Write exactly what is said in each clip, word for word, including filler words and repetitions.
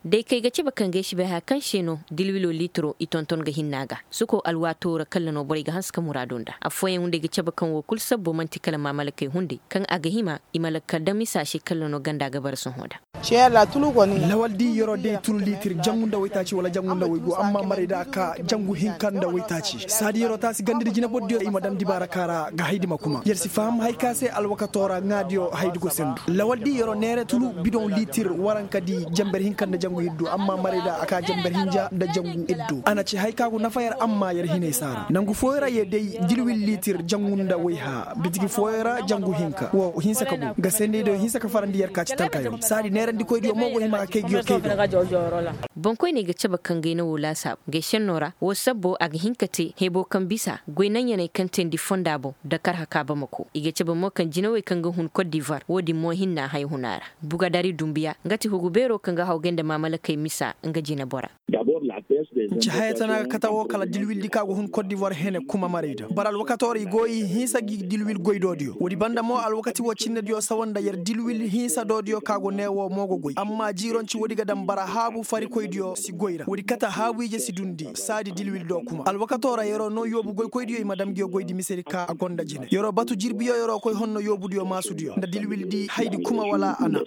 Day kay ga cabe kaŋ ga ay si bay haya kaŋ se no dilwilo liitiro i tonton ga hinna ga suko alwaatoo ra kalla no borey ga hanse ka muraadu nda affooyaŋ hunday ga cabe kaŋ woo kul sabbo man'ti kala maamalakey hunday kaŋ a ga hima i ma lakkal daŋ misa se kalla no ganda ga bara sohõ nda. Lawal di yeroo day tulu liitir jangu nda waytaaci wala jangu nda waygu amma maray da a ka jangu hinka nda waytaaci saadi yeroo taasi ganda di jinabor diyo i ma daŋ dibaara ka ra ga haydi ma kuma yer si faham hay ka se alwakatoo ra ŋaadiyo haydi go sendu lawal di yeroo neere tulu bidoŋ liitir waranka di janber hinka nda jangu iddu amma maray da a ka janber hinja nda jangu iddu a na ci hay ka go nafa yer amma yer hinay saara nangu fooyo ra ye day dilwil liitir jangu nda wayha bitigi fooyo ra jangu hinka wo hinsa ka go ga sendey diyo hinsa ka farandi yer ka ci talkayaŋ saadi neerandikoy diyo mo go hima ka kay ga yer kay ga. Boŋkoyney ga cabe kaŋ gay na woo laasaabu gay šennoo ra woo sabbo a ga hin ka te hebo kaŋ bisa goy naŋyaney kaŋ teendi fonda boŋ nda karha ka bamako i ga cabe mo kaŋ jinawey kaŋ ga hun kot divoir woo din mo hinna hay huna ra. Bugadari dumbiya nga ti hugu beeroo kaŋ ga hawgay nda maamalakey misa nga jinabora. Nci haya tana ga kate woo kala dilwildi kaŋ a go hun kot divoir hene kuma maray da bara alwakatoo ra i go i hinsa gi dilwil goydoo diyo woodi banda mo alwakati woo cinne diyo sawa nda yer dilwil hinsa doo diyo kaŋ a go nee woo mo go goy amma jiironci woodi ga daŋ bara haabu farikoy diyo si goy ra woodi kate haabu ije si dundi saadi dilwil doo kuma alwakatoo ra yeroo noo yoobu goykoy diyo i ma dam nguyo goydi misedi ka a gonda jine yeroo batu jirbiyo yeroo koy honno yoobu diyo maasu diyo nda dilwil di haydi kuma wala a na.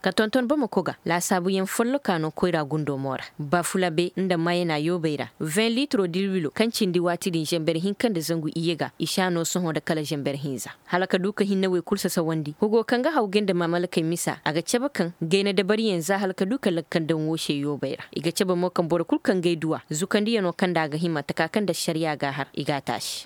Ka tonton bamako ga laasaabuyaŋ folloka no koyra gundo mo ra bafulabe nda mayana yoobey ra vin liitiro dilwilo kaŋ cindi waati din zamber hinka nda zangu iyye ga i si a no sohõ nda kala zamber hinza hala ka du ka hinne wey kul sasawandi hugo kaŋ ga hawgay nda maamalakey misa a ga cabe kaŋ gay na dabariyaŋ za hala ka du ka lakkandaŋ woo se yoobey ra i ga cabe mo kaŋ boro kul kaŋ gay duw'a zukandiyanoo kaŋ nda a ga hima taka kaŋ nda ašariyaa g'a har i g'a taasi.